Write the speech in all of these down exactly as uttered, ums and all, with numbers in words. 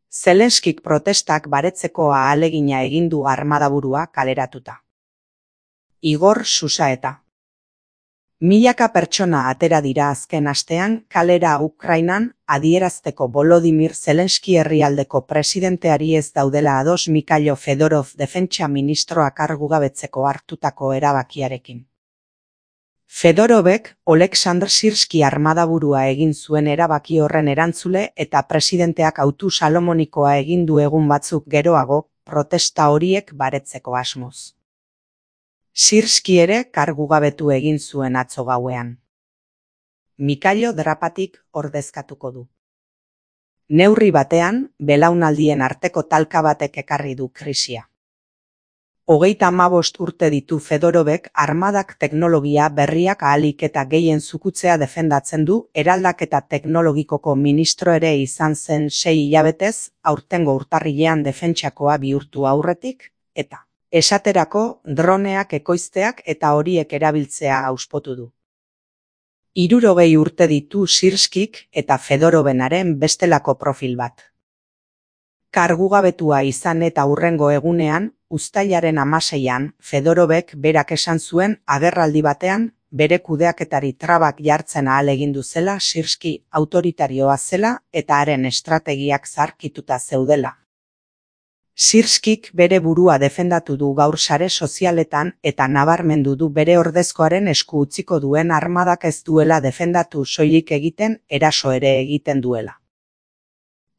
Zelenskik protestak baretzeko ahalegina egin du armadaburua kaleratuta. Igor Susaeta. Milaka pertsona atera dira azken astean kalera Ukrainan adierazteko Volodymyr Zelenski herrialdeko presidenteari ez daudela ados Mikhailo Fedorov defentsa ministroa kargugabetzeko hartutako erabakiarekin. Fedorovek Oleksandr Sirski armadaburua egin zuen erabaki horren erantzule eta presidenteak hautu salomonikoa egin du egun batzuk geroago protesta horiek baretzeko asmoz. Sirski ere kargugabetu egin zuen atzo gauean. Mikhailo Drapatik ordezkatuko du. Neurri batean, belaunaldien arteko talka batek ekarri du krisia. Hogeita hamabost urte ditu Fedorovek armadak teknologia berriak ahalik eta gehien zukutzea defendatzen du, eraldaketa teknologikoko ministro ere izan zen sei hilabetez, aurtengo urtarrilean defentsakoa bihurtu aurretik, eta esaterako droneak ekoizteak eta horiek erabiltzea auspotu du. Hirurogei urte ditu Sirskik eta Fedorovenaren bestelako profil bat. Kargugabetua izan eta hurrengo egunean, uztailaren hamaseian, Fedorovek berak esan zuen agerraldi batean, bere kudeaketari trabak jartzen ahalegindu zela Sirski autoritarioa zela eta haren estrategiak zarkituta zeudela. Sirskik bere burua defendatu du gaur sare sozialetan eta nabarmendu du bere ordezkoaren esku utziko duen armadak ez duela defendatu soilik egiten, eraso ere egiten duela.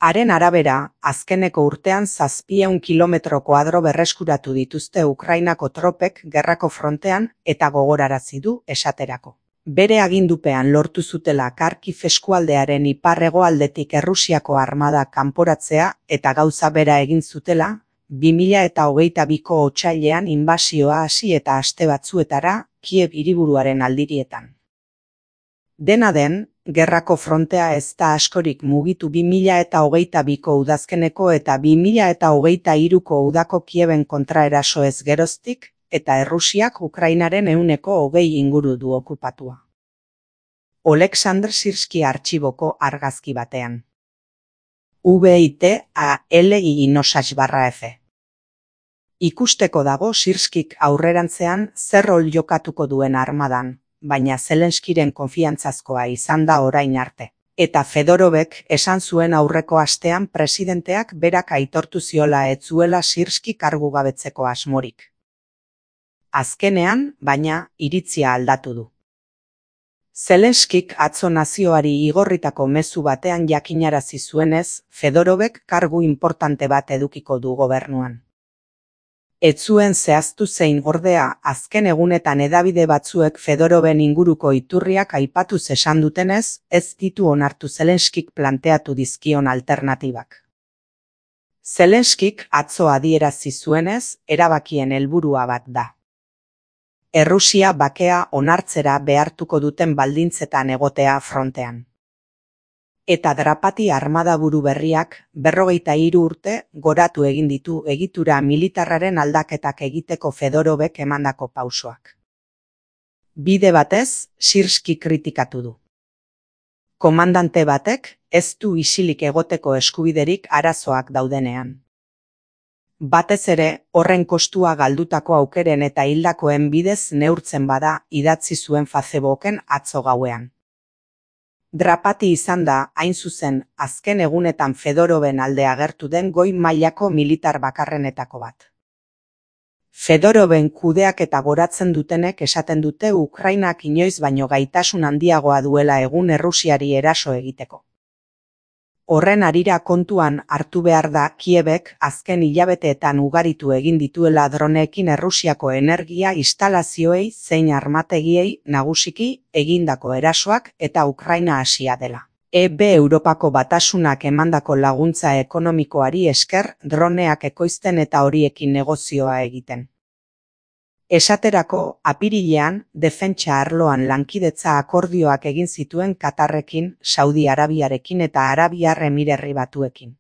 Haren arabera, azkeneko urtean zazpiehun kilometro koadro berreskuratu dituzte Ukrainako tropek gerrako frontean eta gogorarazi du esaterako. Bere agindupean lortu zutela Kharkiv eskualdearen ipar-hegoaldetik Errusiako armada kanporatzea eta gauza bera egin zutela, bi mila hogeita biko otsailean inbasioa hasi eta aste batzuetara Kiev hiriburuaren aldirietan. Dena den, gerrako frontea ez da askorik mugitu bi mila hogeita biko udazkeneko eta bi mila hogeita hiruko udako Kieven kontraeraso ez geroztik, eta Errusiak Ukrainaren ehuneko hogei inguru du okupatua. Oleksandr Sirski artxiboko argazki batean. V I T A L I Inosach barra F. Ikusteko dago Sirskik aurrerantzean zer rol jokatuko duen armadan, baina Zelenskiren konfiantzazkoa izan da orain arte. Eta Fedorovek esan zuen aurreko astean presidenteak berak aitortu ziola ez zuela Sirski kargugabetzeko asmorik. Azkenean, baina, iritzia aldatu du. Zelenskik atzo nazioari igorritako mezu batean jakinarazi zuenez, Fedorovek kargu importante bat edukiko du gobernuan. Ez zuen zehaztu zein ordea, azken egunetan hedabide batzuek Fedoroven inguruko iturriak aipatuz esan dutenez, ez ditu onartu Zelenskik planteatu dizkion alternatibak. Zelenskik atzo adierazi zuenez, erabakien helburua bat da. Errusia bakea onartzera behartuko duten baldintzetan egotea frontean. Eta Drapati armadaburu berriak berrogeita hiru urte goratu egin ditu egitura militarraren aldaketak egiteko Fedorovek emandako pausoak. Bide batez, Sirski kritikatu du. Komandante batek ez du isilik egoteko eskubiderik arazoak daudenean. Batez ere, horren kostua galdutako aukeren eta hildakoen bidez neurtzen bada idatzi zuen Facebooken atzo gauean. Drapati izan da, hain zuzen, azken egunetan Fedoroven alde agertu den goi mailako militar bakarrenetako bat. Fedoroven kudeak eta goratzen dutenek esaten dute Ukrainak inoiz baino gaitasun handiagoa duela egun Errusiari eraso egiteko. Horren harira kontuan hartu behar da Kiebek azken hilabeteetan ugaritu egin dituela droneekin Errusiako energia instalazioei zein armategiei nagusiki egindako erasoak eta Ukraina hasia dela. E B Europako Batasunak emandako laguntza ekonomikoari esker droneak ekoizten eta horiekin negozioa egiten. Esaterako, apirilean, defentsa arloan lankidetza akordioak egin zituen Katarrekin, Saudi Arabiarekin eta Arabiar Emirerri Batuekin.